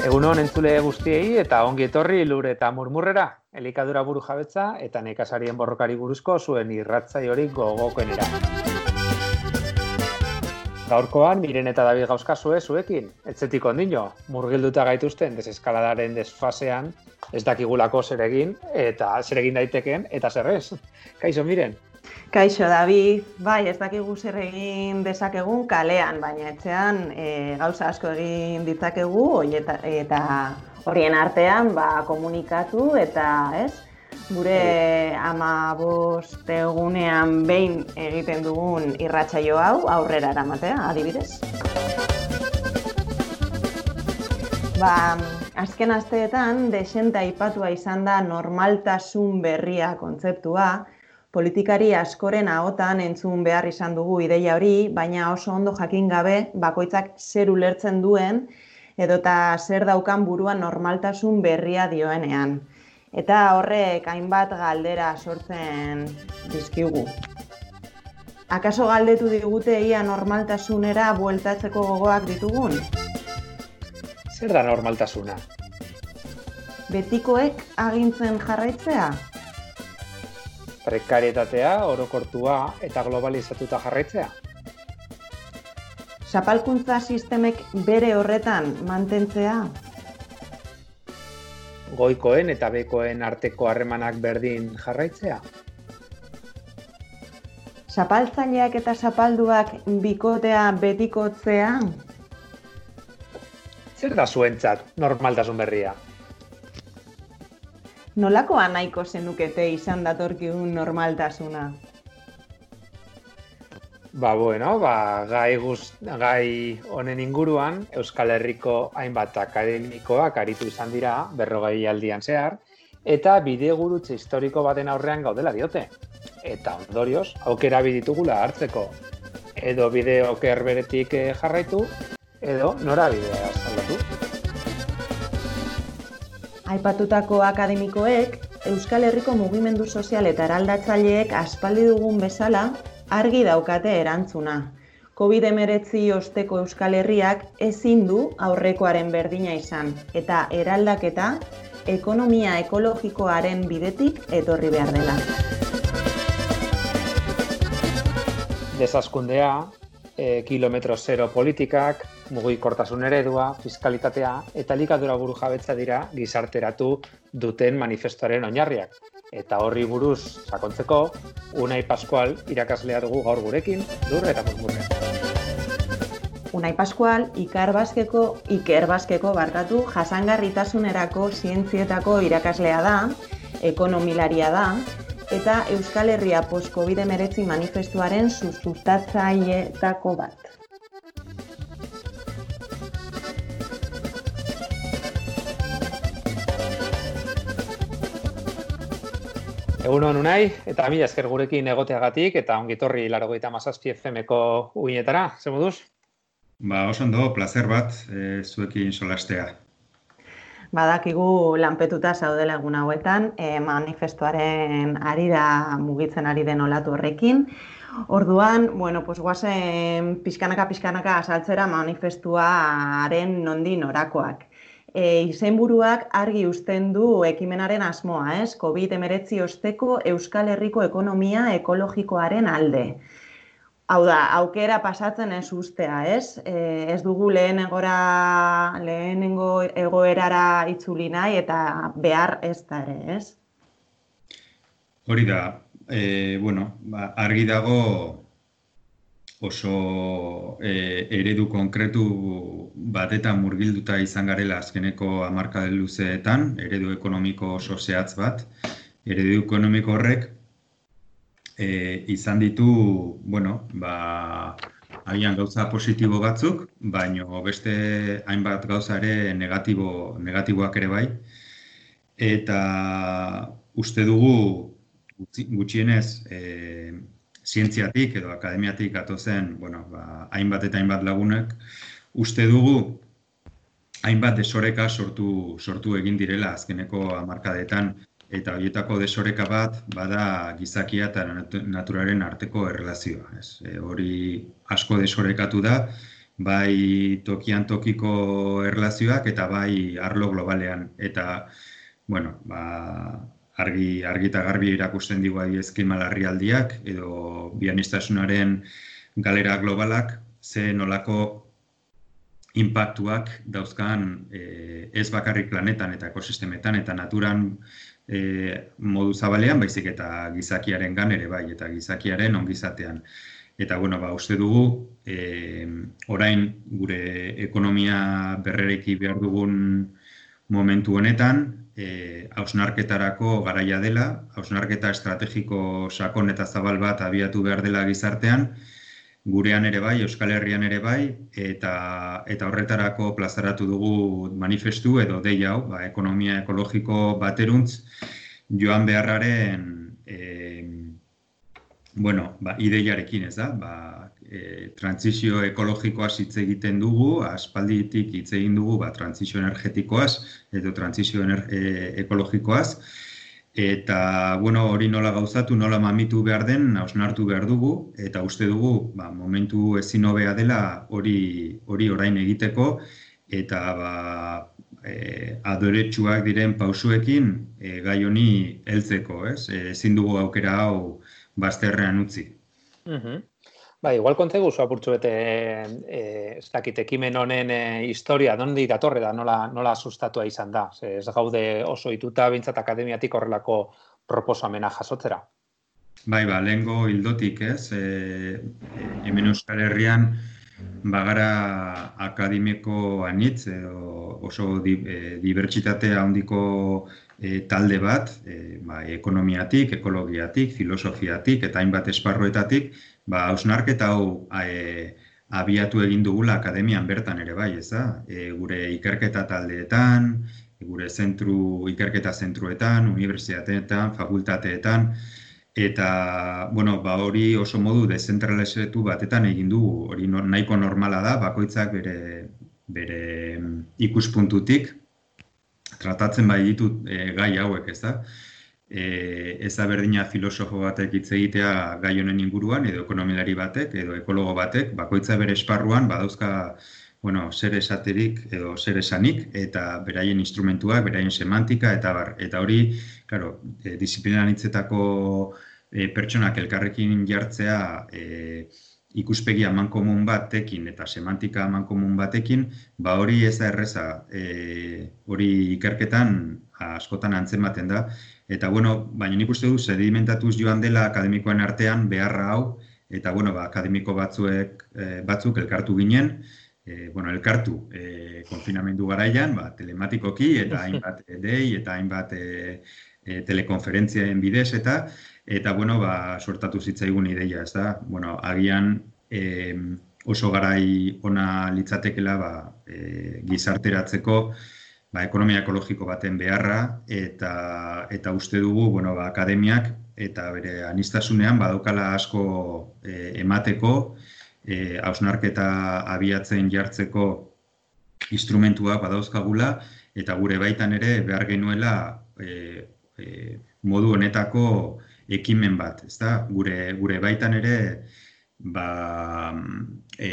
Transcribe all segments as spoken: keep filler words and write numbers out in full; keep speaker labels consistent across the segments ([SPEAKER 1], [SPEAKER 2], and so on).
[SPEAKER 1] Egunon entzule guztiei eta ongi etorri Lur eta Murmurrera, elikadura burujabetza eta nekazarien borrokari buruzko zuen irratsaiorik gogokoenera. Gaurkoan, Miren eta David gauzkazue zuekin, etzetik ondino, murgilduta gaituzten deseskaladaren desfasean, ez dakigulako zer egin eta zer egin daiteken eta zer ez. Kaixo, Miren?
[SPEAKER 2] Kaixo, David, bai, ez dakigu zer egin dezakegun kalean, baina etxean e, gauza asko egin ditzakegu eta, eta horien artean ba, komunikatu eta ez, gure hamabost egunean behin egiten dugun irratsaio hau aurrera eramatea, adibidez. Ba, azken asteetan desente aipatua izan da normaltasun berria kontzeptua. Politikari askoren ahotan entzun behar izan dugu ideia hori, baina oso ondo jakin gabe bakoitzak zer ulertzen duen edota zer daukan buruan normaltasun berria dioenean. Eta horrek hainbat galdera sortzen dizkigu. Akaso galdetu digute ia normaltasunera bueltatzeko gogoak ditugun?
[SPEAKER 1] Zer da normaltasuna?
[SPEAKER 2] Betikoek agintzen jarraitzea?
[SPEAKER 1] Prekarietatea, orokortua eta globalizatuta jarraitzea.
[SPEAKER 2] Zapalkuntza sistemek bere horretan mantentzea.
[SPEAKER 1] Goikoen eta bekoen arteko harremanak berdin jarraitzea.
[SPEAKER 2] Zapaltzaileak eta zapalduak bikotea betikotzea.
[SPEAKER 1] Zer da zuentzat normaltasun berria?
[SPEAKER 2] Nolakoa nahiko zenukete izan datorkigun normaltasuna?
[SPEAKER 1] Ba, bueno, ba, gai, guz, gai honen inguruan Euskal Herriko hainbat akademikoak aritu izan dira berrogei aldian zehar, eta bidegurutze historiko baten aurrean gaudela diote. Eta ondorioz, aukera biditugula hartzeko. Edo bide oker beretik jarraitu, edo norabidea aldatu.
[SPEAKER 2] Aipatutako akademikoek, Euskal Herriko mugimendu sozial eta eraldatzaileek aspaldi dugun bezala argi daukate erantzuna. covid hemeretzi osteko Euskal Herriak ezin du aurrekoaren berdina izan, eta eraldaketa ekonomia ekologikoaren bidetik etorri behar dela.
[SPEAKER 1] Desaskundea, e, kilometro zero politikak, mugikortasun eredua, fiskalitatea eta elikadura burujabetza dira gizarteratu duten manifestoaren oinarriak. Eta horri buruz sakontzeko, Unai Pascual irakaslea dugu gaur gurekin, Lur eta Murmurre.
[SPEAKER 2] Unai Pascual Ikerbasqueko Ikerbasqueko barkatu jasangarritasunerako zientzietako irakaslea da, ekonomilaria da, eta Euskal Herria post-covid hemeretzi manifestuaren sustatzaileetako bat.
[SPEAKER 1] Egunon Unai, eta mila esker gurekin egoteagatik, eta ongitorri laurogeita hamazazpi F M-ko uinetara, ze moduz?
[SPEAKER 3] Ba, oso ondo, plazer bat, e, zuekin solastea.
[SPEAKER 2] Badakigu lanpetuta zaudela egun hauetan, e, manifestuaren arira mugitzen ari den olatu horrekin. Orduan, bueno, pues guazen pixkanaka-pixkanaka azaltzera manifestuaren nondi norakoak. E, izenburuak argi uzten du ekimenaren asmoa, ez? covid hemeretzi osteko Euskal Herriko ekonomia ekologikoaren alde. Hau da, aukera pasatzen ez ustea, ez? E, ez dugu lehenengora, lehenengo egoerara itzuli nahi eta behar ez da ere, ez?
[SPEAKER 3] Hori da, e, bueno, ba, argi dago oso e, eredu konkretu batetan murgilduta izan garela azkeneko hamarkada luzeetan, eredu ekonomiko oso zehatz bat. Eredu ekonomiko horrek e, izan ditu, bueno, ba, agian gauza positibo batzuk, baino beste hainbat gauza ere negatibo, negatiboak ere bai. Eta uste dugu gutxienez e, zientziatik edo akademiatik gatozen, bueno, ba, hainbat eta hainbat lagunek, uste dugu hainbat desoreka sortu, sortu egin direla azkeneko hamarkadetan, eta horietako desoreka bat bada gizakia eta naturaren arteko erlazioa. Ez? E, hori asko desorekatu da, bai tokian tokiko erlazioak eta bai arlo globalean. Eta, bueno, ba, argi, argi eta garbi erakusten digu klima larrialdiak edo bianistasunaren galera globalak, ze nolako inpaktuak dauzkan e, ez bakarrik planetan eta ekosistemetan eta naturan e, modu zabalean, baizik eta gizakiaren gan ere bai, eta gizakiaren ongizatean. Eta, bueno, ba, uste dugu, e, orain gure ekonomia berrereki behar dugun momentu honetan, e, hausnarketarako garaia dela, hausnarketa estrategiko sakon eta zabal bat abiatu behar dela gizartean, gurean ere bai, Euskal Herrian ere bai, eta, eta horretarako plazaratu dugu manifestu edo dei hau, ba, ekonomia ekologiko bateruntz, joan beharraren e, bueno, ba, ideiarekin, ez da? Ba, e, trantsizio ekologikoaz hitz egiten dugu, aspalditik hitz egin dugu, ba, trantsizio energetikoaz edo trantsizio ener, e, ekologikoaz, eta, bueno, hori nola gauzatu, nola mamitu behar den, hausnartu behar dugu, eta uste dugu, ba, momentu ezin hobea dela hori, hori orain egiteko, eta ba, e, adoretsuak diren pausuekin e, gai honi heltzeko, ez? E, ezin dugu aukera hau bazterrean utzi.
[SPEAKER 1] Uh-huh. Ba, igual kontegu zu apurtxu bete, e, ez dakit, ekimen honen e, historia, nondi datorre da, nola, nola sustatua izan da. Ze, ez gaude oso ituta bintzat akademiatik horrelako proposamena jasotzera.
[SPEAKER 3] Bai, ba, lehengo hildotik, ez, e, e, hemen Euskal Herrian bagara akademiko anitz, edo oso di, e, dibertsitate handiko e, talde bat, e, ba, ekonomiatik, ekologiatik, filosofiatik eta hainbat esparruetatik, ba, hausnarketa hau e, abiatu egin dugula akademian bertan ere bai, ez da? E, gure ikerketa taldeetan, gure zentru, ikerketa zentruetan, unibertsitateetan, fakultateetan, eta, bueno, ba, hori oso modu dezentralizatu batetan egin dugu, hori nahiko normala da, bakoitzak bere, bere ikuspuntutik, tratatzen bai ditut e, gai hauek, ez da? E, ez da berdina filosofo batek hitz egitea gai honen inguruan, edo ekonomilari batek, edo ekologo batek, bakoitza bere esparruan badauzka, bueno, zer esaterik edo zer esanik, eta beraien instrumentuak, beraien semantika, eta bar. Eta hori, claro, e, disiplina anitzetako e, pertsonak elkarrekin jartzea e, ikuspegi amankomun batekin eta semantika amankomun batekin, ba hori ez da erreza, e, hori ikerketan askotan antzematen da. Eta, bueno, baina nik uste du sedimentatuz joan dela akademikoen artean beharra hau, eta, bueno, ba, akademiko batzuek, e, batzuk elkartu ginen, e, bueno, elkartu e, konfinamendu garaian, ba, telematikoki, eta hainbat dei, eta hainbat e, e, telekonferentzien bidez, eta, eta, bueno, ba, sortatu zitzaigun ideia, ez da? Bueno, agian e, oso garai ona litzatekela, ba, e, gizarteratzeko, ba, ekonomia ekologiko baten beharra, eta, eta uste dugu, bueno, ba, akademiak eta bere aniztasunean badaukala asko e, emateko, e, hausnarketa abiatzen jartzeko instrumentuak badauzkagula, eta gure baitan ere behar genuela e, e, modu honetako ekimen bat, ezta? Gure, gure baitan ere ba, e,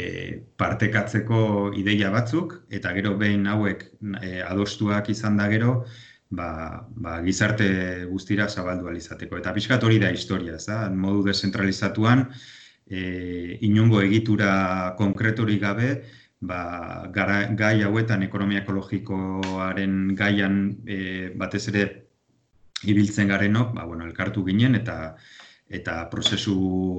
[SPEAKER 3] partekatzeko ideia batzuk, eta gero behin hauek e, adostuak izan da gero, ba, ba, gizarte guztira zabaldu alizateko. Eta pixkat hori da historia, ez da? Modu dezentralizatuan, e, inongo egitura konkretorik gabe, ba, gara, gai hauetan ekonomia ekologikoaren gaian e, batez ere ibiltzen garenok, ba, bueno, elkartu ginen, eta eta prozesu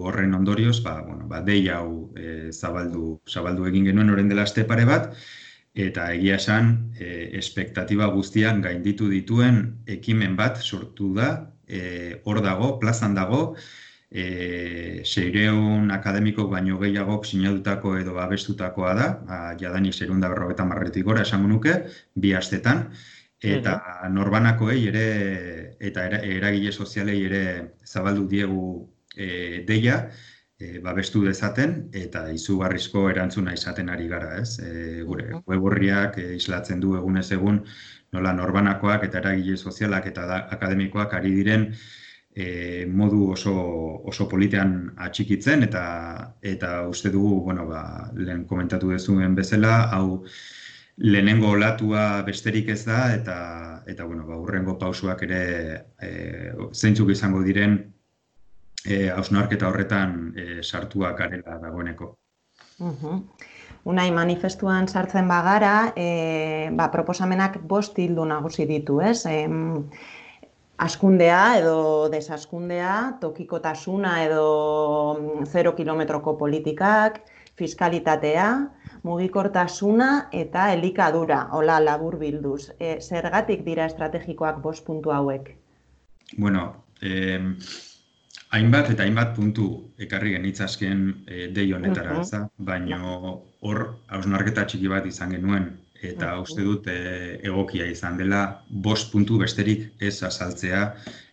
[SPEAKER 3] horren ondorioz, ba, bueno, ba, dei hau e, zabaldu, zabaldu egin genuen orain dela aste pare bat, eta egia esan, e, espektatiba guztiak gainditu dituen ekimen bat sortu da, e, hor dago, plazan dago, e, seiehun akademiko baino gehiagok sinadutako edo babestutakoa da, ba, jadanik seiehun eta berrogeita hamarretik gora esango nuke, bi astetan, eta norbanakoei ere, eta eragile sozialei ere zabaldu diegu e, deia, e, babestu dezaten eta izugarrizko erantzuna izaten ari gara, ez? E, gure web orriak e, islatzen du egunez egun nola norbanakoak eta eragile sozialak eta da, akademikoak ari diren e, modu oso, oso politean atxikitzen eta eta uste dugu, bueno, ba, lehen komentatu dezuen bezala, hau lehenengo olatua besterik ez da eta eta bueno, ba, hurrengo pausuak ere e, zeintzuk izango diren E, hausnarketa horretan e, sartuak garela dagoeneko.
[SPEAKER 2] Uh-huh. Unai, manifestuan sartzen bagara, e, ba, proposamenak bost hildo nagusi ditu, ez? E, askundea edo desaskundea, tokikotasuna edo zero kilometroko politikak, fiskalitatea, mugikortasuna eta elikadura, hola labur bilduz. E, zergatik dira estrategikoak bost puntu hauek?
[SPEAKER 3] Bueno, eh, hainbat eta hainbat puntu ekarri genitzazken e, dei honetara, ez da? Baina hor hausnarketa txiki bat izan genuen eta uste dut e, egokia izan dela bost puntu besterik ez azaltzea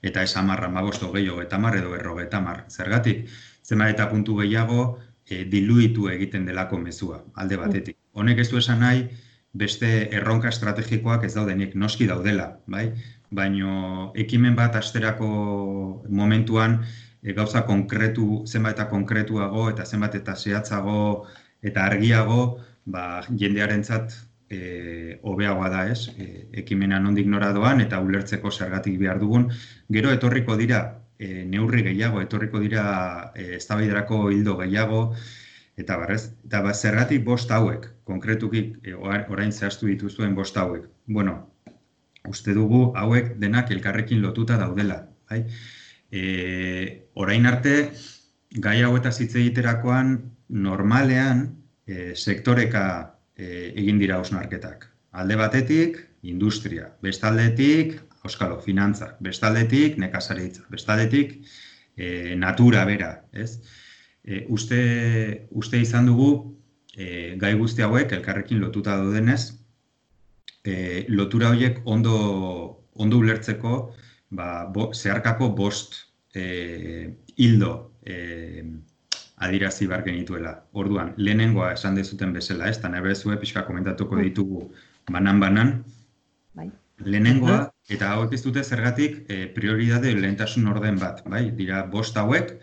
[SPEAKER 3] eta ez hamar hamabost hogei hogeita hamar edo berrogeita hamar. Zergatik, zenbait eta puntu gehiago e, diluitu egiten delako mezua, alde batetik. Honek ez du esan nahi beste erronka estrategikoak ez daudenik, noski daudela, bai? Baina ekimen bat asterako momentuan e, gauza konkretu, zenbat eta konkretuago eta zenbat eta zehatzago eta argiago, ba, jendearentzat e, hobeagoa da, ez? E, ekimena nondik nora doan eta ulertzeko zergatik behar dugun. Gero etorriko dira e, neurri gehiago, etorriko dira e, eztabaidarako hildo gehiago, eta barrez, eta ba, zergatik bost hauek, konkretuki e, orain zehaztu dituzuen bost hauek. Bueno, uste dugu hauek denak elkarrekin lotuta daudela. Bai? E, orain arte, gai hauetaz hitz egiterakoan normalean e, sektoreka e, egin dira hausnarketak. Alde batetik, industria, bestaldetik, auskalo, finantzak, bestaldetik, nekazaritza, bestaldetik, e, natura bera, ez? E, uste, uste izan dugu e, gai guzti hauek elkarrekin lotuta daudenez, e, lotura horiek ondo, ondo ulertzeko ba, bo, zeharkako bost e, hildo e, adirazi behar genituela. Orduan, lehenengoa esan dezuten bezala, ez? Eta nahi bezue pixka komentatuko ditugu banan-banan. Bai. Lehenengoa, eta hauek ez dute zergatik e, prioridade lehentasun orden bat, bai? Dira bost hauek,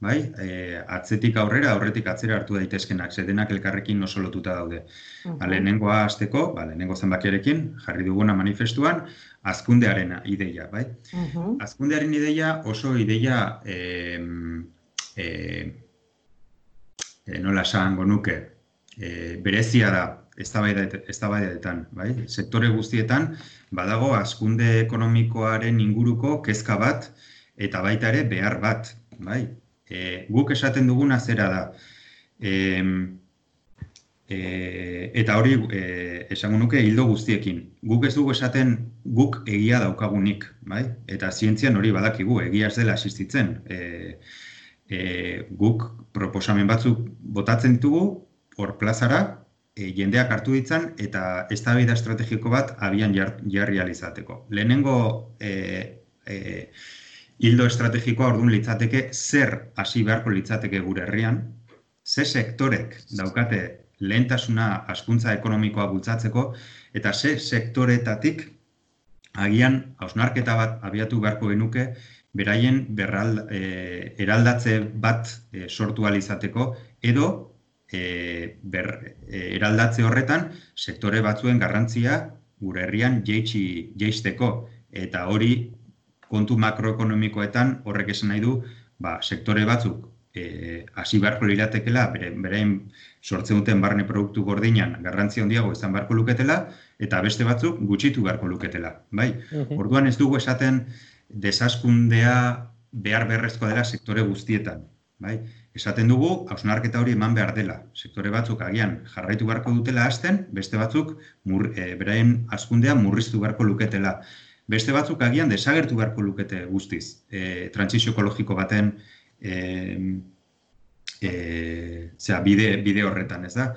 [SPEAKER 3] bai? E, atzetik aurrera, aurretik atzera hartu daitezkenak, zedenak elkarrekin oso lotuta daude. Uh-huh. Ba, lehenengoa hasteko, ba, lehenengo zenbakiarekin, jarri duguna manifestuan, hazkundearen ideia, bai? Uh-huh. Hazkundearen ideia oso ideia e, e, e, nola esango nuke, e, berezia da, eztabaidetan, bai? Sektore guztietan badago hazkunde ekonomikoaren inguruko kezka bat eta baita ere behar bat, bai? E, guk esaten duguna zera da. E, e, eta hori e, esango nuke hildo guztiekin. Guk ez dugu esaten guk egia daukagunik, bai? Eta zientzian hori badakigu, egia ez dela existitzen. E, e, guk proposamen batzuk botatzen ditugu, hor plazara, E, jendeak hartu ditzan eta eztabaida estrategiko bat abian jar, jarri alizateko. Lehenengo e, e, hildo estrategikoa orduan litzateke zer hasi beharko litzateke gure herrian, ze sektorek daukate lehentasuna hazkuntza ekonomikoa bultzatzeko eta ze sektoretatik agian hausnarketa bat abiatu beharko genuke beraien berral, e, eraldatze bat e, sortu alizateko edo E, ber, e, eraldatze horretan sektore batzuen garrantzia gure herrian jeitsi jeisteko eta hori kontu makroekonomikoetan horrek esan nahi du ba, sektore batzuk e, hasi beharko liratekela bere, berein sortzen duten barne produktu gordinan garrantzia handiago izan beharko luketela eta beste batzuk gutxitu beharko luketela, bai? Uh-huh. Orduan ez dugu esaten desaskundea behar beharrezkoa dela sektore guztietan, bai? Esaten dugu, hausnarketa hori eman behar dela. Sektore batzuk agian jarraitu beharko dutela hasten, beste batzuk mur, e, beraien hazkundea murriztu beharko luketela. Beste batzuk agian desagertu beharko lukete guztiz. E, Trantsizio ekologiko baten e, e, zera, bide, bide horretan, ez da?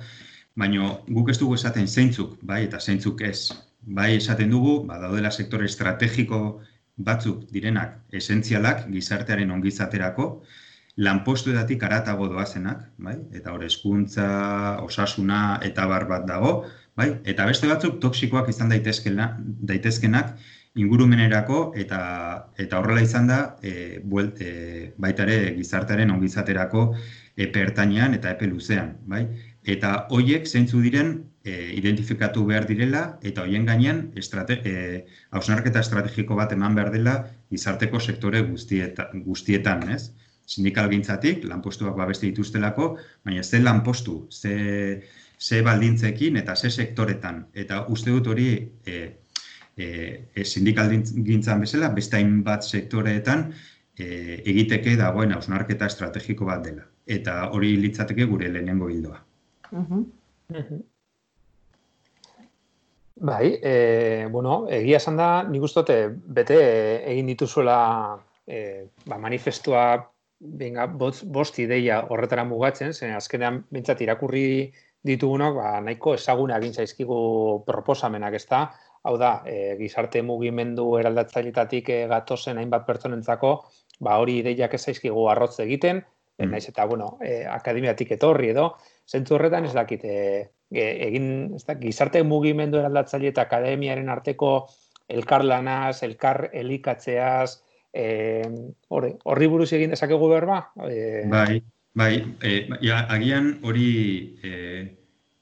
[SPEAKER 3] Baina guk ez dugu esaten zeintzuk, bai, eta zeintzuk ez. Bai esaten dugu, ba, daudela sektore estrategiko batzuk direnak esentzialak gizartearen ongizaterako, lanpostuetatik haratago doazenak, bai? Eta hor hezkuntza, osasuna eta bar bat dago, bai? Eta beste batzuk toxikoak izan daitezkena, daitezkenak ingurumenerako eta eta horrela izan da e, buelt, e, baita ere gizartearen ongizaterako epe ertainean eta epe luzean, bai? Eta hoiek zeintzu diren e, identifikatu behar direla eta hoien gainean estrate, e, hausnarketa estrategiko bat eman behar dela gizarteko sektore guztieta, guztietan, ez? Sindikalgintzatik, lanpostuak babeste dituztelako, baina ze lanpostu, ze, ze baldintzekin eta ze sektoretan. Eta uste dut hori e, e, sindikalgintzan bezala, beste hainbat sektoreetan e, egiteke dagoen hausnarketa estrategiko bat dela. Eta hori litzateke gure lehenengo hildoa.
[SPEAKER 2] Uh-huh.
[SPEAKER 1] Mhm. Bai, e, bueno, egia esan da, nik uste dute bete egin dituzuela e, ba, manifestua benga, bost, bost ideia horretara mugatzen, zen azkenean bintzat irakurri ditugunok, ba, nahiko ezaguna egin zaizkigu proposamenak, ez da? Hau da, e, gizarte mugimendu eraldatzailetatik e, gatozen hainbat pertsonentzako, ba, hori ideiak ez zaizkigu arrotz egiten, mm. naiz eta, bueno, e, akademiatik etorri edo, zentzu horretan ez dakit, e, egin, ez da, gizarte mugimendu eraldatzaile eta akademiaren arteko elkarlanaz, elkar elikatzeaz, e, horri, horri buruz egin dezakegu berba? E...
[SPEAKER 3] Bai, bai, e, ja, agian hori e,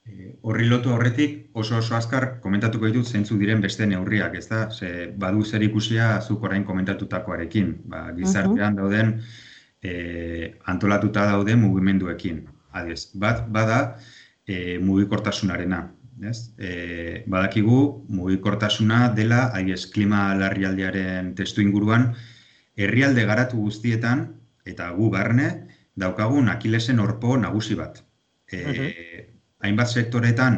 [SPEAKER 3] e, horri lotu horretik oso oso azkar komentatuko ditut zeintzu diren beste neurriak, ez da? Ze, badu zer ikusia zuk orain komentatutakoarekin, ba, gizartean dauden e, antolatuta dauden mugimenduekin. Adez, bat bada e, mugikortasunarena. Ez? E, badakigu mugikortasuna dela, adiez, klima larrialdiaren testu inguruan, herrialde garatu guztietan, eta gu barne, daukagun Akilesen orpo nagusi bat. E, uh-huh. Hainbat sektoretan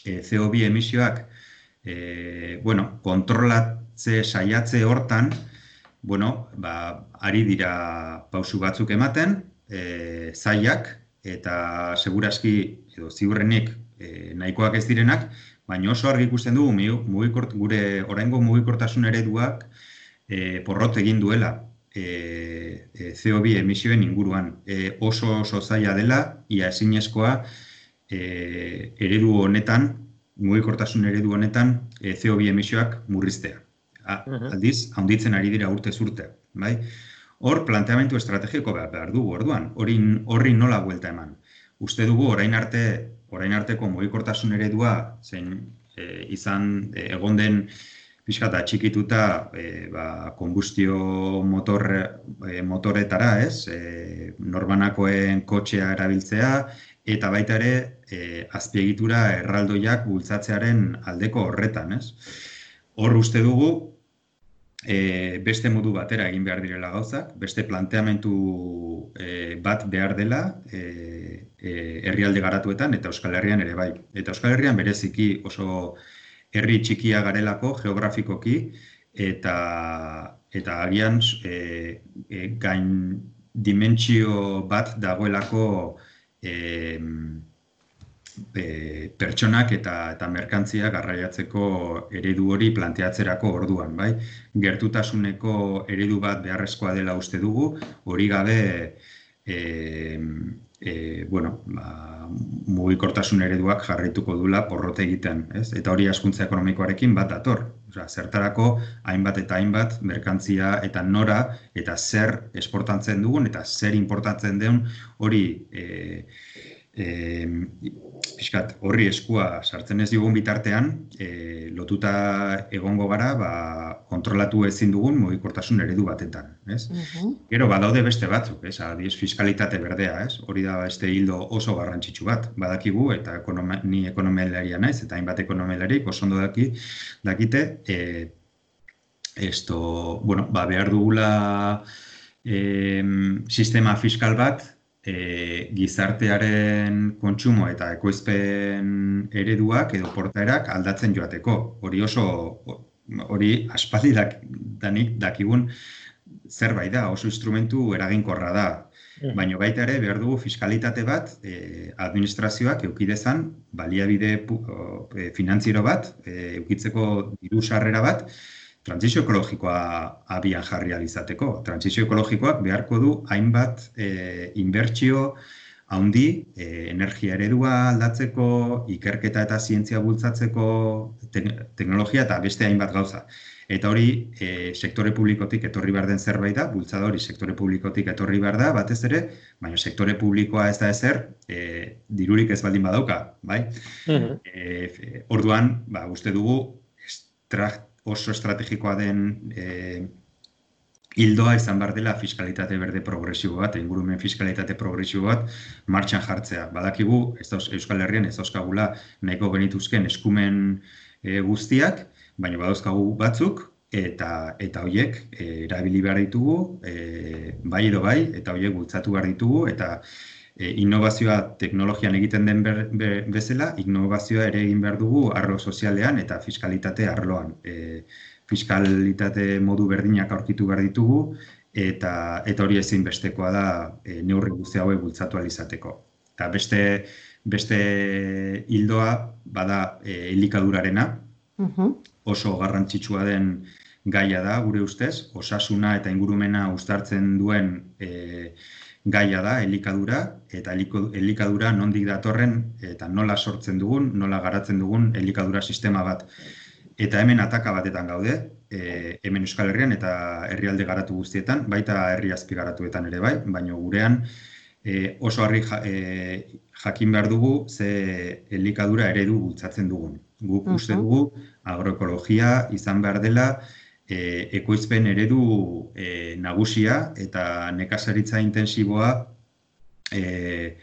[SPEAKER 3] e, C O bi emisioak e, bueno, kontrolatze saiatze hortan, bueno, ba, ari dira pausu batzuk ematen, E, zaiak eta segurazki edo ziurrenik e, nahikoak ez direnak, baina oso argi ikusten dugu mugikort, gure oraingo mugikortasun ereduak e, porrot egin duela e, e, C O bi emisioen inguruan. E, oso oso zaila dela, ia ezinezkoa e, eredu honetan, mugikortasun eredu honetan e, C O bi emisioak murriztea. A, aldiz, handitzen ari dira urtez urte, bai? Hor, planteamendu estrategiko behar, behar dugu, orduan, horri nola buelta eman. Uste dugu, orain arte, orain arteko mugikortasun eredua, zein e, izan e, egon den pixkata txikituta e, ba, konbustio motor, e, motoretara, ez? E, norbanakoen kotxea erabiltzea, eta baita ere e, azpiegitura erraldoiak bultzatzearen aldeko horretan, ez? Hor uste dugu, E, beste modu batera egin behar direla gauzak, beste planteamentu e, bat behar dela e, e, herrialde garatuetan eta Euskal Herrian ere bai. Eta Euskal Herrian bereziki oso herri txikia garelako geografikoki eta, eta agian e, e, gain dimentsio bat dagoelako e, E, pertsonak eta, eta merkantzia garraiatzeko eredu hori planteatzerako orduan, bai? Gertutasuneko eredu bat beharrezkoa dela uste dugu, hori gabe e, e, bueno, ba, mugikortasun ereduak jarraituko dula porrot egiten, ez? Eta hori hazkuntza ekonomikoarekin bat dator. Osea, zertarako hainbat eta hainbat merkantzia eta nora eta zer esportatzen dugun eta zer importatzen den hori e, E, piskat, horri eskua sartzen ez digun bitartean, e, lotuta egongo gara, ba, kontrolatu ezin dugun mugikortasun eredu batetan, ez? Uh-huh. Gero, badaude beste batzuk, ez? Adiez, fiskalitate berdea, ez? Hori da beste hildo oso garrantzitsu bat, badakigu, eta ekonome, ni ekonomelaria naiz, eta hainbat ekonomelarik oso ondo daki, dakite, e, esto, bueno, ba, behar dugula e, sistema fiskal bat, E, gizartearen kontsumo eta ekoizpen ereduak edo portaerak aldatzen joateko. Hori oso, hori aspaldi dak, danik dakigun zerbait da, oso instrumentu eraginkorra da. Mm. Baina baita ere behar dugu fiskalitate bat, e, administrazioak eukidezan baliabide e, finantziero bat, e, eukitzeko diru sarrera bat, trantsizio ekologikoa abian jarri ahal izateko. Trantsizio ekologikoak beharko du hainbat e, inbertsio haundi, e, energia eredua aldatzeko, ikerketa eta zientzia bultzatzeko te teknologia eta beste hainbat gauza. Eta hori e, sektore publikotik etorri behar den zerbait da, bultzada hori sektore publikotik etorri behar da, batez ere, baina sektore publikoa ez da ezer, e, dirurik ez baldin badauka, bai? Mm-hmm. e, orduan, ba, uste dugu, estra, oso estrategikoa den e, hildoa izan behar dela fiskalitate berde progresibo bat, ingurumen fiskalitate progresibo bat martxan jartzea. Badakigu, ez dauz, Euskal Herrian ez dauzkagula nahiko genituzken eskumen e, guztiak, baina badauzkagu batzuk, eta eta horiek e, erabili behar ditugu, e, bai edo bai, eta horiek bultzatu behar ditugu, eta e, innovazioa teknologian egiten den ber, be, bezala, innovazioa ere egin behar dugu arlo sozialean eta fiskalitate arloan. E, fiskalitate modu berdinak aurkitu behar ditugu, eta, eta hori ezinbestekoa da e, neurri guzti hauek bultzatu ahal izateko. Eta beste, beste hildoa bada e, elikadurarena, uh-huh. Oso garrantzitsua den gaia da, gure ustez, osasuna eta ingurumena uztartzen duen e, gaia da, elikadura, eta elikadura nondik datorren eta nola sortzen dugun, nola garatzen dugun elikadura sistema bat. Eta hemen ataka batetan gaude, e, hemen Euskal Herrian eta herrialde garatu guztietan, baita herri azpigaratuetan ere bai, baina gurean e, oso harri ja, e, jakin behar dugu ze elikadura eredu bultzatzen dugun. Guk uh-huh. uste dugu agroekologia izan behar dela e, ekoizpen eredu e, nagusia eta nekazaritza intensiboa e,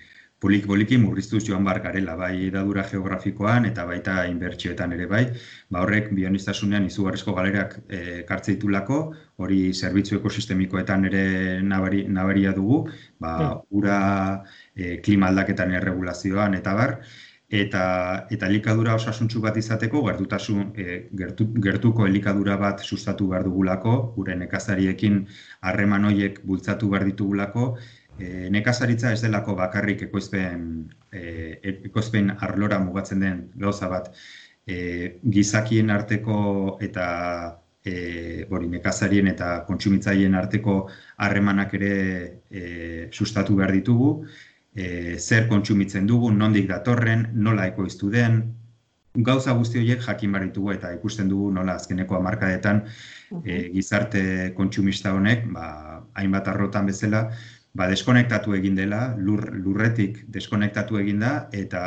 [SPEAKER 3] polik-poliki murriztuz joan behar garela, bai hedadura geografikoan eta baita inbertsioetan ere bai, ba horrek bioniztasunean izugarrizko galerak ekartze ditulako, hori zerbitzu ekosistemikoetan ere nabari, nabaria dugu, ba ura e, klima aldaketan erregulazioan eta bar, eta eta elikadura osasuntsu bat izateko gertutasun e, gertu, gertuko elikadura bat sustatu behar dugulako, gure nekazariekin harreman horiek bultzatu behar ditugulako. E, nekazaritza ez delako bakarrik ekoizpen, e, ekoizpen arlora mugatzen den gauza bat, e, gizakien arteko eta e, bori, nekazarien eta kontsumitzaileen arteko harremanak ere e, sustatu behar ditugu, e, zer kontsumitzen dugu, nondik datorren, nola ekoiztu den, gauza guzti horiek jakin behar ditugu eta ikusten dugu nola azkeneko hamarkadetan e, gizarte kontsumista honek, ba, hainbat arlotan bezala, ba, deskonektatu egin dela, lur, lurretik deskonektatu egin da, eta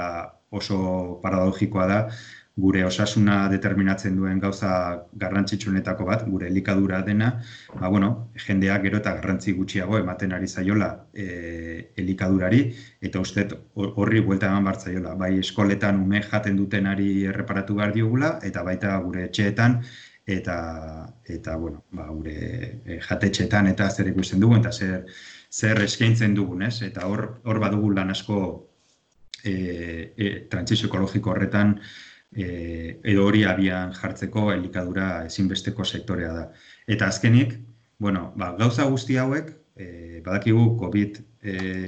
[SPEAKER 3] oso paradogikoa da, gure osasuna determinatzen duen gauza garrantzitsuenetako bat, gure elikadura dena, ba, bueno, jendeak gero eta garrantzi gutxiago ematen ari zaiola e, elikadurari, eta uste horri buelta eman behar zaiola. Bai eskoletan ume jaten dutenari erreparatu behar diogula, eta baita gure etxeetan, eta, eta bueno, ba, gure jatetxeetan eta zer ikusten dugu, eta zer, zer eskaintzen dugun, ez? Eta hor, hor badugu lan asko e, e, trantsizio ekologiko horretan, E, edo hori abian jartzeko elikadura ezinbesteko sektorea da. Eta azkenik, bueno, ba, gauza guzti hauek, e, badakigu COVID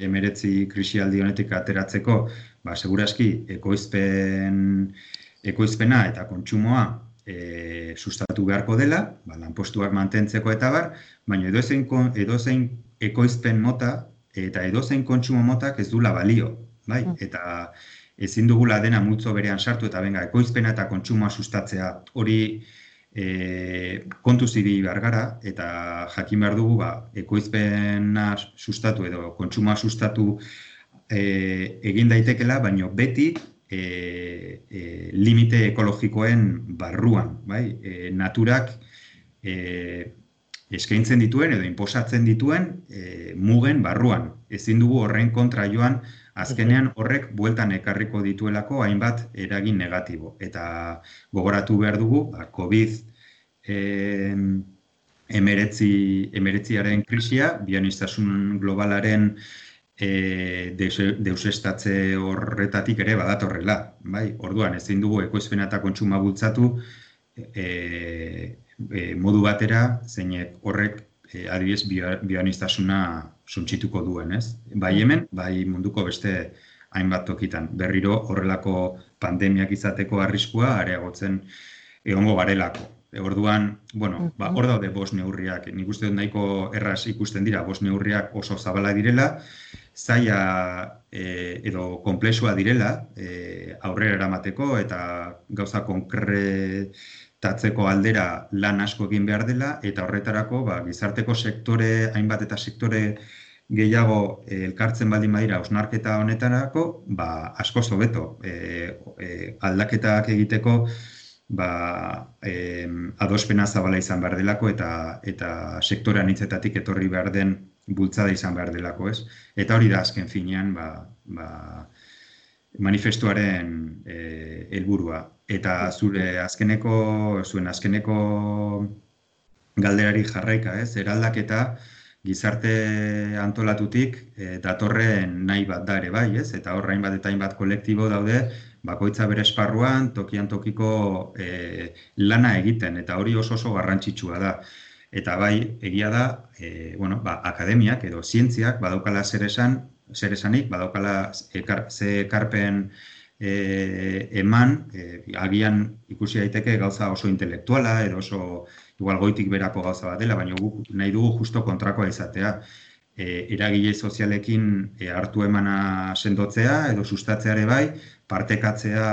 [SPEAKER 3] hemeretzi krisialdi honetik ateratzeko, ba, segurazki ekoizpen, ekoizpena eta kontsumoa e, sustatu beharko dela, ba, lanpostuak mantentzeko eta bar, baina edozein, edozein ekoizpen mota eta edozein kontsumo motak ez dula balio, bai? Eta ezin dugula dena multzo berean sartu eta benga, ekoizpena eta kontsumoa sustatzea hori e, kontu zibili behar gara eta jakin behar dugu ba, ekoizpena sustatu edo kontsumoa sustatu e, egin daitekela, baina beti e, e, limite ekologikoen barruan, bai? E, naturak e, eskaintzen dituen edo inposatzen dituen e, mugen barruan. Ezin dugu horren kontra joan, azkenean horrek bueltan ekarriko dituelako hainbat eragin negatibo. Eta gogoratu behar dugu, ba, COVID hemeretziaren krisia, bioniztasun globalaren e, deusestatze horretatik ere badatorrela. Bai? Orduan, ezin dugu ekoizpena eta kontsuma bultzatu e, e, modu batera, zeinek horrek e, adibidez bioniztasuna suntsituko duen, ez? Bai hemen, bai munduko beste hainbat tokitan. Berriro horrelako pandemiak izateko arriskua areagotzen egongo garelako. Orduan, bueno, ba, hor daude bost neurriak. Nik uste dut nahiko erraz ikusten dira, bost neurriak oso zabala direla, zaila e, edo konplexua direla e, aurrera eramateko eta gauza konkretatzeko aldera lan asko egin behar dela, eta horretarako ba, gizarteko sektore, hainbat eta sektore gehiago e, elkartzen baldin badira hausnarketa honetarako, ba, asko hobeto e, e, aldaketak egiteko ba, eh, adospena zabala izan behar delako eta, eta sektorean hitzetatik etorri behar den bultzada izan behar delako, ez? Eta hori da azken finean ba, ba, manifestuaren eh, helburua. Eta zure azkeneko, zuen azkeneko galderari jarraika, ez? Eraldaketa gizarte antolatutik eh, datorren nahi bat da ere bai, ez? Eta horra hainbat eta hainbat kolektibo daude, bakoitza bere esparruan, tokian tokiko e, lana egiten, eta hori oso oso garrantzitsua da. Eta bai, egia da, e, bueno, ba, akademiak edo zientziak badaukala zer esan, zer esanik, badaukala ekar, ze ekarpen e, eman, e, agian ikusi daiteke gauza oso intelektuala, edo oso igual goitik berako gauza bat dela, baina guk nahi dugu justo kontrakoa izatea. E, eragile sozialekin e, hartu emana sendotzea edo sustatzea ere bai, partekatzea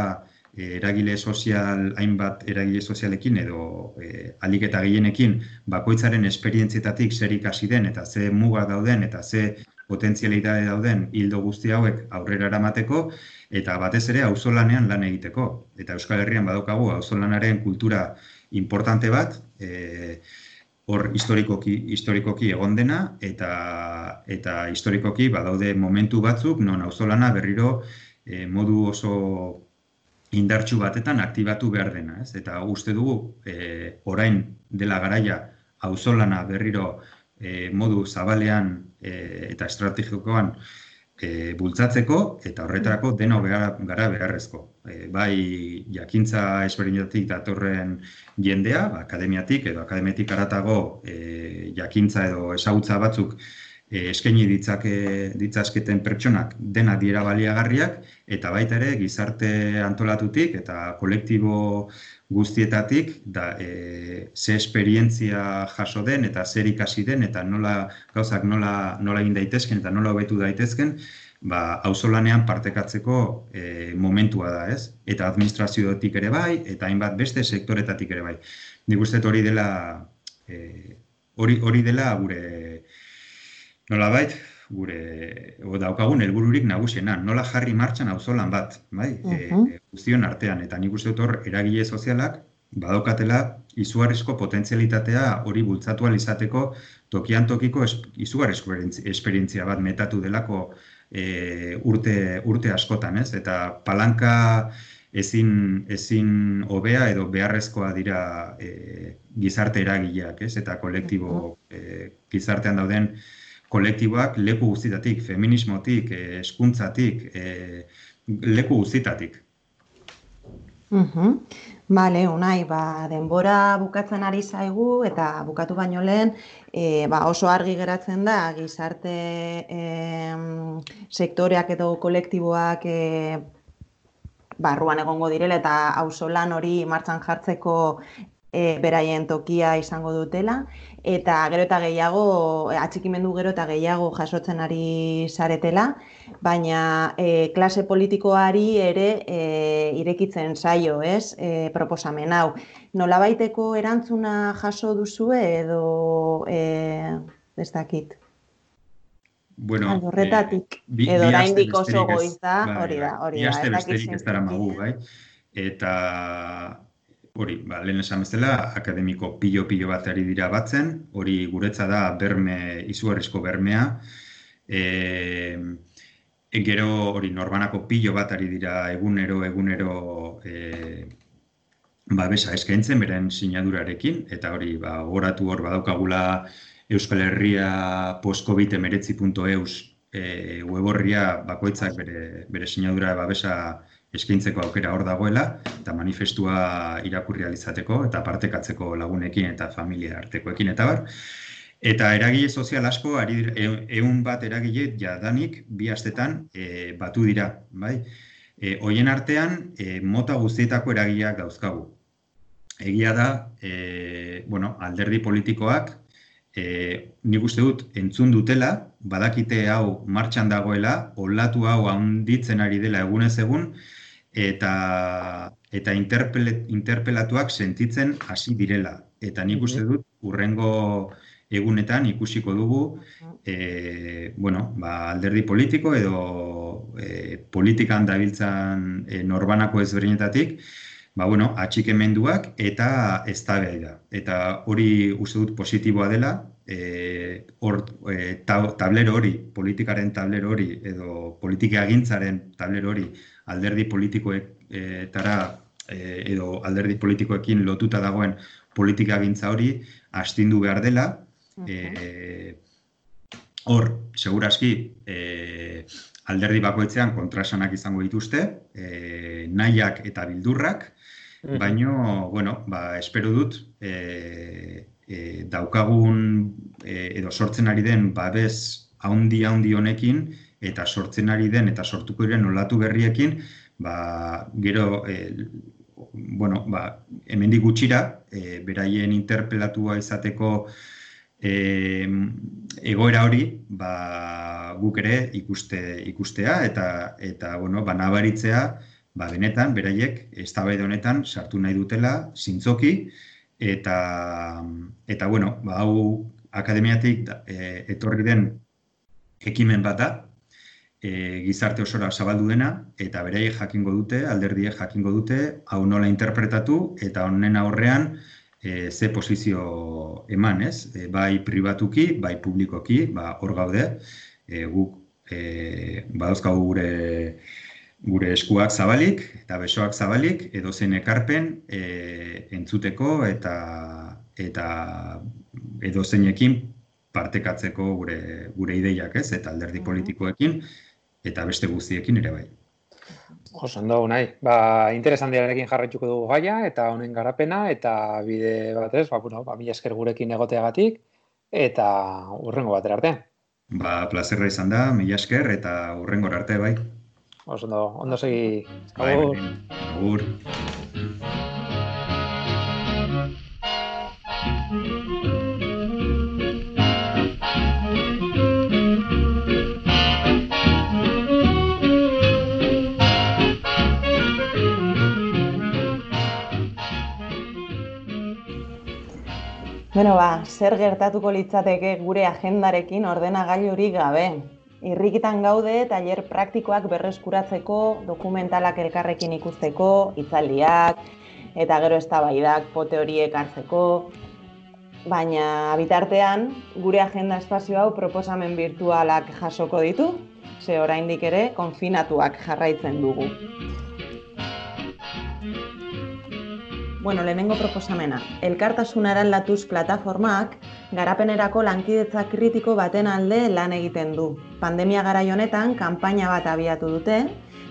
[SPEAKER 3] e, eragile sozial, hainbat eragile sozialekin edo e, ahalik eta gehienekin bakoitzaren esperientzietatik zer ikasi den eta ze muga dauden eta ze potentzialitate dauden hildo guzti hauek aurrera eramateko eta batez ere auzolanean lan egiteko. Eta Euskal Herrian badaukagu auzolanaren kultura importante bat, e, hor historikoki, historikoki egon dena, eta, eta historikoki badaude momentu batzuk, non auzolana berriro e, modu oso indartsu batetan aktibatu behar dena. Ez? Eta uste dugu, e, orain dela garaia auzolana berriro e, modu zabalean e, eta estrategikoan e, bultzatzeko, eta horretarako deno gara, gara beharrezko. E, bai jakintza ezberdinetatik datorren jendea, ba, akademiatik edo akademiatik haratago e, jakintza edo ezagutza batzuk e, eskaini ditzake, ditzazketen pertsonak dena dira baliagarriak, eta baita ere gizarte antolatutik eta kolektibo guztietatik da, e, ze esperientzia jaso den eta zer ikasi den eta nola gauzak nola, nola egin daitezken eta nola hobetu daitezken, ba, auzolanean partekatzeko e, momentua da, ez? Eta administrazioetik ere bai, eta hainbat beste sektoretatik ere bai. Nik uste hori dela, e, hori, hori dela gure, nolabait, gure, o daukagun helbururik nagusiena, nola jarri martxan auzolan bat, bai? Uh-huh. e, guztion artean, eta nik uste hor eragile sozialak badaukatela izugarrizko potentzialitatea hori bultzatu ahal izateko tokian tokiko es, izugarrizko esperientzia bat metatu delako e, urte, urte askotan, ez? Eta palanka ezin, ezin hobea edo beharrezkoa dira e, gizarte eragileak, ez? Eta kolektibo e, gizartean dauden kolektiboak leku guztitatik, feminismotik, hezkuntzatik, e, leku guztitatik.
[SPEAKER 2] Mhm. Bale, Unai, ba, denbora bukatzen ari zaigu eta bukatu baino lehen e, ba, oso argi geratzen da gizarte e, sektoreak edo kolektiboak e, barruan egongo direla eta auzolan hori martxan jartzeko e, beraien tokia izango dutela eta gero eta gehiago, atxikimendu gero eta gehiago jasotzen ari zaretela, baina e, klase politikoari ere e, irekitzen zaio, ez, e, proposamen hau. Nolabaiteko erantzuna jaso duzue edo e, ez dakit?
[SPEAKER 3] Bueno,
[SPEAKER 2] horretatik,
[SPEAKER 3] eh, bi,
[SPEAKER 2] edo
[SPEAKER 3] bi
[SPEAKER 2] oraindik
[SPEAKER 3] aste
[SPEAKER 2] oso
[SPEAKER 3] besterik ez-
[SPEAKER 2] goiz da,
[SPEAKER 3] bai,
[SPEAKER 2] hori da,
[SPEAKER 3] bai,
[SPEAKER 2] hori
[SPEAKER 3] bi
[SPEAKER 2] da.
[SPEAKER 3] aste
[SPEAKER 2] ez dakit
[SPEAKER 3] besterik ez dara magu,
[SPEAKER 2] zentzu-
[SPEAKER 3] bai? Eta hori, ba, lehen esan bezala, akademiko pilo-pilo bat ari dira batzen, hori guretza da berme, izugarrizko bermea. E, gero hori norbanako pilo bat ari dira egunero, egunero e, babesa eskaintzen beren sinadurarekin, eta hori ba, gogoratu hor badaukagula Euskal Herria post-covid hemeretzi puntu eus e, weborria bakoitzak bere, bere sinadura babesa eskaintzeko aukera hor dagoela, eta manifestua irakurri ahal izateko, eta partekatzeko lagunekin eta familia artekoekin eta bar. Eta eragile sozial asko, ari dira- e- ehun bat eragile jadanik bi astetan e, batu dira, bai? E, hoien artean, e, mota guztietako eragileak dauzkagu. egia da, e, bueno, alderdi politikoak, e, nik uste dut, entzun dutela, badakite hau martxan dagoela, olatu hau handitzen ari dela egunez egun, eta, eta interpele, interpelatuak sentitzen hasi direla. Eta nik uste dut, hurrengo egunetan ikusiko dugu, e, bueno, ba, alderdi politiko edo e, politikan dabiltzan e, norbanako ezberdinetatik, ba, bueno, atxikemenduak eta eztabaida. Eta hori uste dut positiboa dela, e, or, e, tab, tablero hori, politikaren tablero hori, edo politikagintzaren tablero hori, alderdi politikoetara e, edo alderdi politikoekin lotuta dagoen politikagintza hori astindu behar dela. E, hor, segurazki, e, alderdi bakoitzean kontrasanak izango dituzte, e, nahiak eta bildurrak, baino, bueno, ba, espero dut, e, e, daukagun e, edo sortzen ari den babes haundi-haundi honekin, eta sortzen ari den eta sortuko diren olatu berriekin, ba, gero, e, bueno, ba, hemendik gutxira, e, beraien interpelatua izateko e, egoera hori, ba, guk ere ikuste, ikustea eta, eta bueno, ba, nabaritzea, ba, benetan, beraiek, eztabaida honetan sartu nahi dutela, zintzoki, eta, eta bueno, ba, hau akademiatik e, etorri den ekimen bat da, e, gizarte osora zabaldu dena, eta beraiek jakingo dute, alderdiek jakingo dute, hau nola interpretatu, eta honen aurrean e, ze posizio eman, ez? E, bai pribatuki, bai publikoki, ba, hor gaude, e, guk e, badauzkagu gure gure eskuak zabalik eta besoak zabalik edozein ekarpen e, entzuteko eta eta edozeinekin partekatzeko gure gure ideiak, ez? Eta alderdi politikoekin eta beste guztiekin ere bai.
[SPEAKER 1] Oso ondo, nahi. Ba, interesantiarekin jarraituko dugu gaia eta honen garapena eta bide batez, ba, bueno, ba, mila esker gurekin egoteagatik eta hurrengo batera arte.
[SPEAKER 3] Ba, plazerra izan da, mila esker eta hurrengo arte bai.
[SPEAKER 1] Oso ondo, ondo segi.
[SPEAKER 3] Agur. Agur.
[SPEAKER 2] Bueno, ba, zer gertatuko litzateke gure agendarekin ordenagailurik gabe? Irrikitan gaude, tailer praktikoak berreskuratzeko, dokumentalak elkarrekin ikusteko, hitzaldiak, eta gero eztabaidak pote horiek hartzeko. Baina bitartean, gure agenda espazio hau proposamen virtualak jasoko ditu, ze oraindik ere konfinatuak jarraitzen dugu. Bueno, lehenengo proposamena. Elkartasuna eraldatuz plataformak garapenerako lankidetza kritiko baten alde lan egiten du. Pandemia garai honetan kanpaina bat abiatu dute,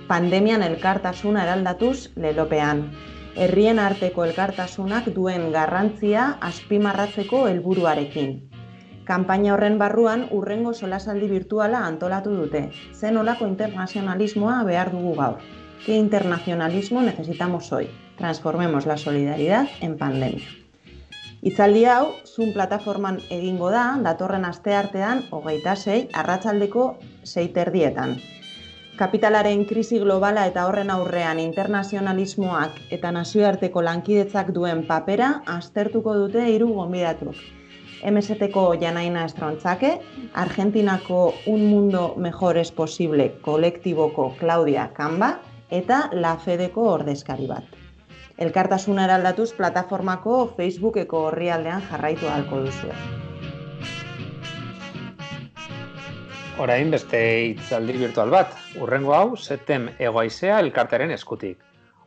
[SPEAKER 2] pandemian elkartasuna eraldatuz lelopean. Herrien arteko elkartasunak duen garrantzia azpimarratzeko helburuarekin. Kanpaina horren barruan hurrengo solasaldi virtuala antolatu dute. Zer nolako internazionalismoa behar dugu gaur? ¿Qué internacionalismo necesitamos hoy? Transformemos la solidaridad en pandemia. Hitzaldi hau, Zoom plataforman egingo da, datorren asteartean, hogeita sei, arratsaldeko sei terdietan. Kapitalaren krisi globala eta horren aurrean internazionalismoak eta nazioarteko lankidetzak duen papera aztertuko dute hiru gonbidatuk. M S T-ko Janaina Estrontzake, Argentinako Un Mundo Mejor es Posible kolektiboko Claudia Kamba eta La Fedeko ordezkari bat. Elkartasuna eraldatuz plataformako Facebookeko orrialdean jarraitu ahalko duzue.
[SPEAKER 1] Orain beste hitzaldi virtual bat. Hurrengo hau, Setem Egoaizea elkartearen eskutik.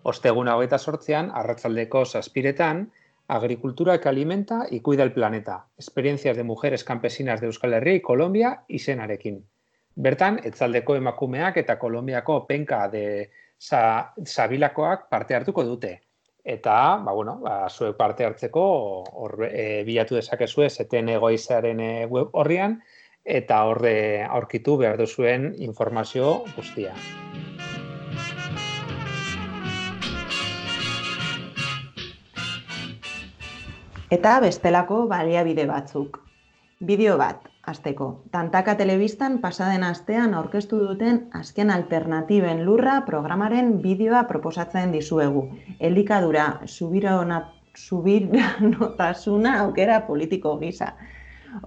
[SPEAKER 1] Osteguna hogeita zortzian, arratsaldeko zazpiretan, Agricultura que alimenta y cuida el planeta. Experiencias de mujeres campesinas de Euskal Herria y Colombia izenarekin. Bertan, etzaldeko emakumeak eta Kolonbiako penka de Sabilakoak parte hartuko dute. Eta, ba, bueno, ba, zuek parte hartzeko hor, e, bilatu dezakezue Setem Egoaizearen e, web horrian eta horre aurkitu behar duzuen informazio guztia.
[SPEAKER 2] Eta bestelako baliabide batzuk. Bideo bat, hasteko. Tantaka telebistan pasaden astean aurkeztu duten azken alternatiben lurra programaren bideoa proposatzen dizuegu. Elikadura subiranotasuna aukera politiko gisa.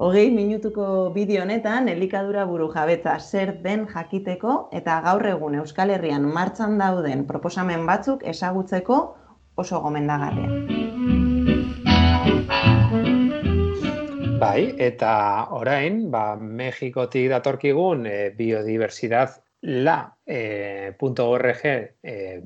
[SPEAKER 2] Hogei minutuko bideo honetan elikadura burujabetza zer den jakiteko eta gaur egun Euskal Herrian martxan dauden proposamen batzuk ezagutzeko oso gomendagarria.
[SPEAKER 1] Bai, eta orain, ba, Mexikotik datorkigun e, biodiversidad la punto org e,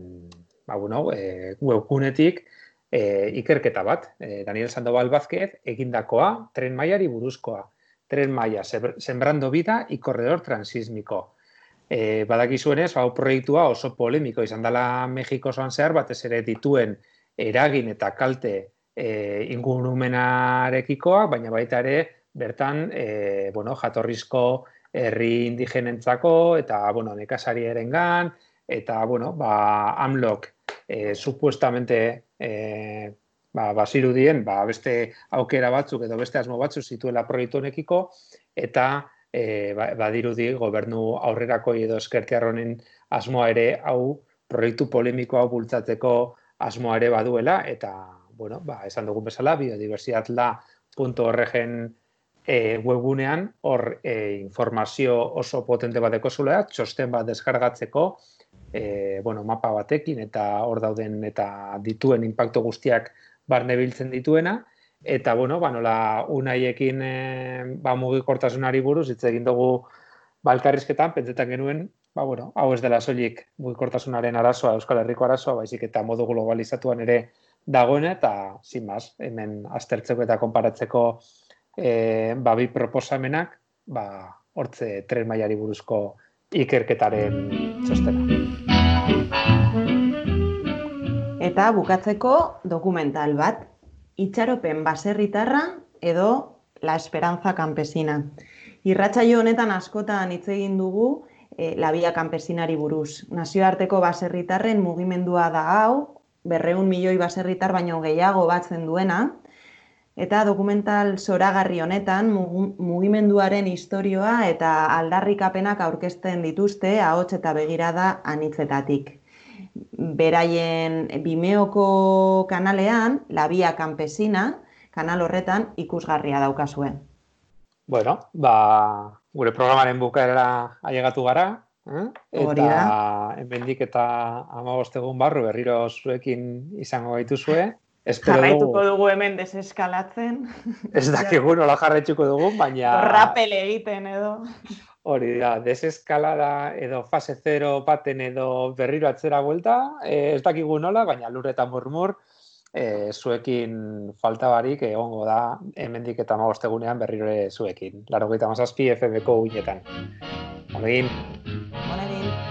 [SPEAKER 1] ba, bueno, e, webgunetik e, ikerketa bat. E, Daniel Sandoval Vázquez egindakoa tren mailari buruzkoa. Tren maila, sembrando vida y corredor transísmico. E, badakizuenez, hau proiektua oso polemiko izan dela Mexiko osoan zehar, batez ere dituen eragin eta kalte e, ingurumenarekikoak, baina baita ere bertan e, bueno, jatorrizko herri indigenentzako eta bueno, nekazarierengan eta bueno, ba, AMLOk e, supuestamente e, ba, bazirudien ba, beste aukera batzuk edo beste asmo batzuk zituela proiektu honekiko eta e, ba, badirudi gobernu aurrerako edo ezkertiarronen asmoa ere hau proiektu polemiko hau bultzatzeko asmoa ere baduela eta bueno, ba, esan dugun bezala biodiversidad la punto org-en e, webgunean hor e, informazio oso potente bateko zulea, txosten bat deskargatzeko e, bueno, mapa batekin eta hor dauden eta dituen inpaktu guztiak barne biltzen dituena eta bueno, ba, nola unaiekin e, ba, mugikortasunari buruz hitz egin dugu balkarrizketan, pentsetan genuen ba, bueno, hau ez dela soilik mugikortasunaren arazoa, Euskal Herriko arazoa, baizik eta modu globalizatuan ere dagoena eta, sin mas, hemen aztertzeko eta konparatzeko e, ba, bi proposamenak, ba, hortze tren mailari buruzko ikerketaren txostena.
[SPEAKER 2] Eta bukatzeko dokumental bat, Itxaropen baserritarra edo La Esperanza Campesina. Irratsaio honetan askotan hitz egin dugu e, La Via Campesinari buruz. Nazioarteko baserritarren mugimendua da hau, berreun milioi baserritar baino gehiago batzen duena, eta dokumental zoragarri honetan mugimenduaren istorioa eta aldarrikapenak aurkezten dituzte ahots eta begirada anitzetatik. Beraien Vimeoko kanalean, La Via Campesina, kanal horretan ikusgarria daukazue.
[SPEAKER 1] Bueno, ba, gure programaren bukaera ailegatu gara, eh? Eta hemendik eta hamabost egun barru berriro zuekin izango gaituzue.
[SPEAKER 2] Jarraituko dugu hemen deseskalatzen.
[SPEAKER 1] Ez dakigu nola jarraituko dugu, baina...
[SPEAKER 2] Rappel egiten edo.
[SPEAKER 1] Hori da, deseskalada edo fase zero baten edo berriro atzera buelta, eh, ez dakigu nola, baina lur eta murmur eh, zuekin falta barik egongo da hemendik eta hamabost egunean berriro zuekin. Laurogeita hamazazpi F M ko uinetan. Honegin.
[SPEAKER 2] Honegin.